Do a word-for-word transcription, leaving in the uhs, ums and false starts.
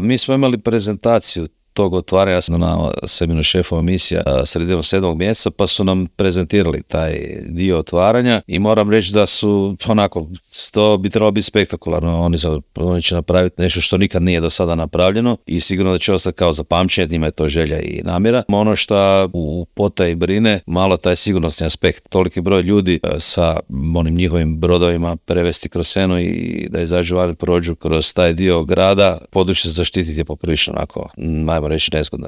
Mi smo imali prezentaciju tog otvaranja na seminu šefova misija sredinom sedmog mjeseca, pa su nam prezentirali taj dio otvaranja i moram reći da su onako, to bi trebalo biti spektakularno. Oni, oni će napraviti nešto što nikad nije do sada napravljeno i sigurno da će ostati kao zapamćenje, njima je to želja i namjera. Ono što u potaji brine, malo taj sigurnosni aspekt. Toliki broj ljudi sa onim njihovim brodovima prevesti kroz Senu i da izađu van, prođu kroz taj dio grada, područje zaštititi je poprilično onako, ajmo reći, nezgodno.